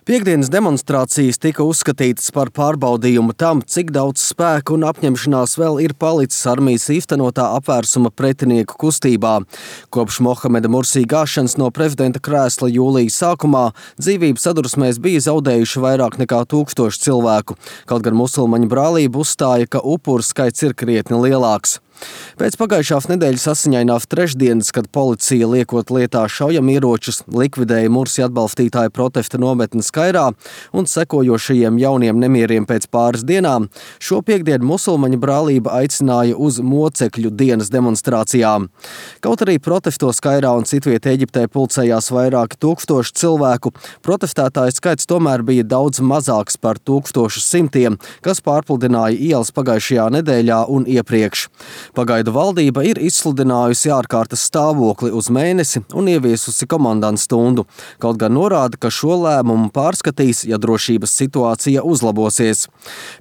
Piektdienas demonstrācijas tika uzskatītas par pārbaudījumu tam, cik daudz spēku un apņemšanās vēl ir palicis armijas īstenotā apvērsuma pretinieku kustībā. Kopš Mohameda Mursī gāšanas no prezidenta krēsla jūlijas sākumā dzīvību sadursmēs bija zaudējuši vairāk nekā 1000 cilvēku, kaut gan musulmaņu brālība uzstāja, ka upuru skaits ir krietni lielāks. Pēc pagājušās nedēļas asiņainās trešdienas, kad policija liekot lietā šaujamieročus, likvidēja Mursi atbalstītāju protesta nometnes Kairā un sekojošajiem jauniem nemieriem pēc pāris dienām, šo piektdienu musulmaņu brālība aicināja uz mocekļu dienas demonstrācijām. Kaut arī protestos Kairā un citviet Eģiptē pulcējās vairāki 1000 cilvēku, protestētāju skaits tomēr bija daudz mazāks par 1100, kas pārpludināja ielas pagājušajā nedēļā un iepriekš. Pagaidu valdība ir izsludinājusi ārkārtas stāvokli uz mēnesi un ieviesusi komandantu stundu, kaut gan norāda, ka šo lēmumu pārskatīs, ja drošības situācija uzlabosies.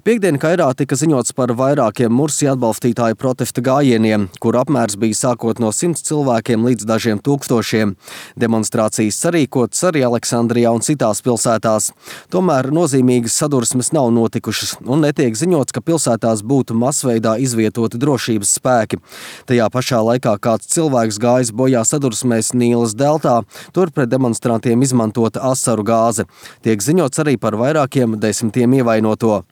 Piektdien Kairā tika ziņots par vairākiem Mursi atbalstītāju protesta gājieniem, kur apmērs bija sākot no 100 cilvēkiem līdz dažiem tūkstošiem. Demonstrācijas sarīkotas arī Aleksandrijā un citās pilsētās. Tomēr nozīmīgas sadursmes nav notikušas un netiek ziņots, ka pilsētās būtu masveidā izvietoti drošības spēki. Tajā pašā laikā kāds cilvēks gājis bojā sadursmēs Nīlas deltā, tur pret demonstrantiem izmantota asaru gāze. Tiek ziņots arī par vairākiem 10 ievainoto.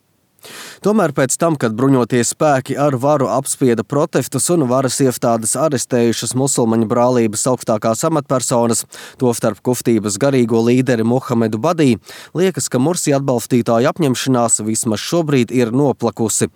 Tomēr pēc tam, kad bruņotie spēki ar varu apspieda protestus un varas iestādes arestējušas musulmaņu brālības augstākās amatpersonas, tostarp kustības garīgo līderi Mohamedu Badī, liekas, ka Mursi atbalstītāju apņemšanās vismaz šobrīd ir noplakusi.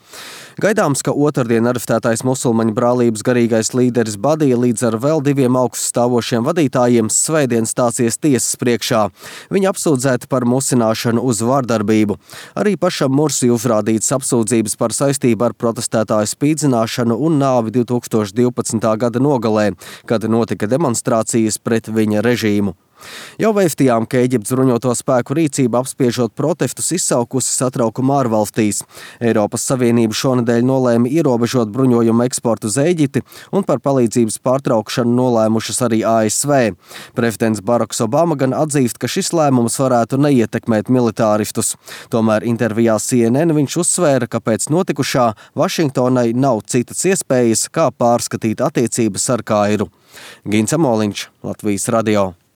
Gaidāms, ka otrdien arestētais musulmaņu brālības garīgais līderis Badī līdz ar vēl 2 augststāvošiem vadītājiem svētdien stāsies tiesas priekšā. Viņi apsūdzēti par musināšanu uz vardarbību. Arī pašam Mursi uzrādīts apsūdzības par saistību ar protestētāju spīdzināšanu un nāvi 2012. gada nogalē, kad notika demonstrācijas pret viņa režīmu. Jau vēstījām, ka Eģiptes bruņoto spēku rīcība apspiežot protestus izsaukusi satraukumu ārvalstīs. Eiropas Savienība šonedēļ nolēma ierobežot bruņojumu eksportu uz Eģipti un par palīdzības pārtraukšanu nolēmušas arī ASV. Prezidents Baraks Obama gan atzīst, ka šis lēmums varētu neietekmēt militāristus. Tomēr intervijā CNN viņš uzsvēra, ka pēc notikušā Vašingtonai nav citas iespējas, kā pārskatīt attiecības ar Kairu. Gins Amoliņš, Latvijas radio.